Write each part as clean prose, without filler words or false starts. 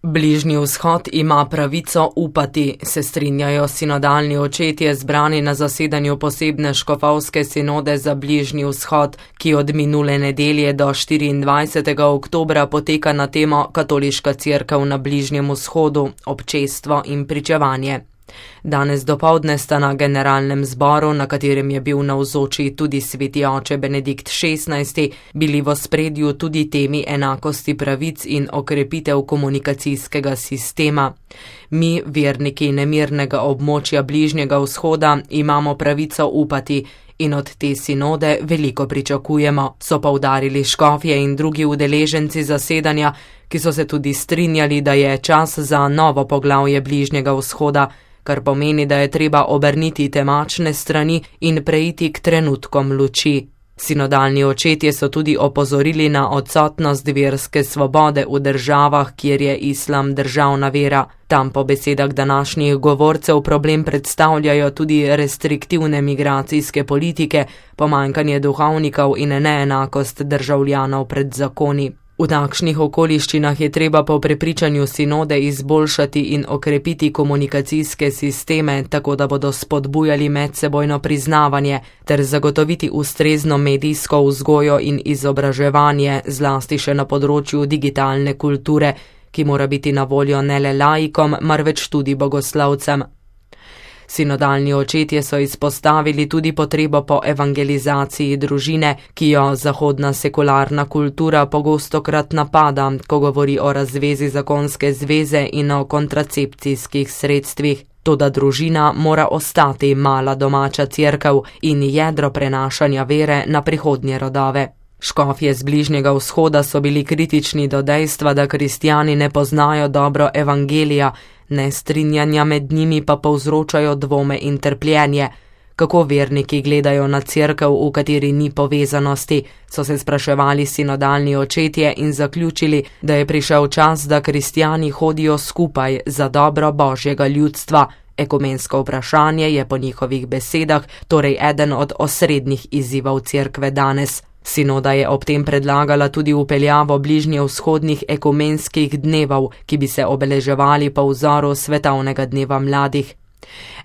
Bližnji vzhod ima pravico upati, se strinjajo sinodalni očetje zbrani na zasedanju posebne škofovske sinode za Bližnji vzhod, ki od minule nedelje do 24. oktobra poteka na temo Katoliška cerkev na Bližnjem vzhodu, občestvo in pričevanje. Danes dopoldne sta na generalnem zboru, na katerem je bil navzoči tudi sveti oče Benedikt XVI, bili v ospredju tudi temi enakosti pravic in okrepitev komunikacijskega sistema. Mi, verniki nemirnega območja Bližnjega vzhoda, imamo pravico upati in od te sinode veliko pričakujemo, so poudarili škofje in drugi udeleženci zasedanja, ki so se tudi strinjali, da je čas za novo poglavje Bližnjega vzhoda, kar pomeni, da je treba obrniti temačne strani in preiti k trenutkom luči. Sinodalni očetje so tudi opozorili na odsotnost verske svobode v državah, kjer je islam državna vera. Tam po besedah današnjih govorcev problem predstavljajo tudi restriktivne migracijske politike, pomanjkanje duhovnikov in neenakost državljanov pred zakoni. V takšnih okoliščinah je treba po prepričanju sinode izboljšati in okrepiti komunikacijske sisteme, tako da bodo spodbujali medsebojno priznavanje ter zagotoviti ustrezno medijsko vzgojo in izobraževanje, zlasti še na področju digitalne kulture, ki mora biti na voljo ne le laikom, marveč tudi bogoslovcem. Sinodalni očetje so izpostavili tudi potrebo po evangelizaciji družine, ki jo zahodna sekularna kultura pogostokrat napada, ko govori o razvezi zakonske zveze in o kontracepcijskih sredstvih. Toda družina mora ostati mala domača cerkev in jedro prenašanja vere na prihodnje rodove. Škofje z Bližnjega vzhoda so bili kritični do dejstva, da kristjani ne poznajo dobro evangelija, nestrinjanja med njimi pa povzročajo dvome in trpljenje. Kako verniki gledajo na cerkev, v kateri ni povezanosti, so se spraševali sinodalni očetje in zaključili, da je prišel čas, da kristjani hodijo skupaj za dobro Božjega ljudstva. Ekumensko vprašanje je po njihovih besedah torej eden od osrednjih izzivov cerkve danes. Sinoda je ob tem predlagala tudi vpeljavo bližnjevzhodnih ekumenskih dnevov, ki bi se obeleževali po vzoru svetovnega dneva mladih.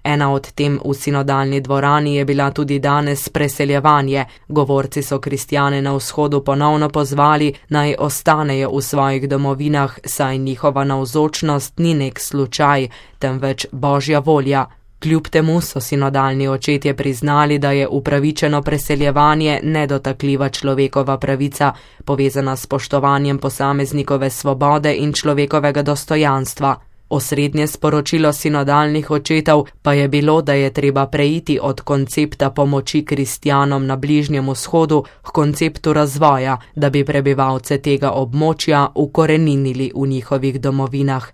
Ena od tem v sinodalni dvorani je bila tudi danes preseljevanje. Govorci so kristjane na vzhodu ponovno pozvali, naj ostanejo v svojih domovinah, saj njihova navzočnost ni nek slučaj, temveč Božja volja. Kljub temu so sinodalni očetje priznali, da je upravičeno preseljevanje nedotakljiva človekova pravica, povezana s spoštovanjem posameznikove svobode in človekovega dostojanstva. Osrednje sporočilo sinodalnih očetov pa je bilo, da je treba preiti od koncepta pomoči kristjanom na Bližnjem vzhodu k konceptu razvoja, da bi prebivalce tega območja ukoreninili v njihovih domovinah.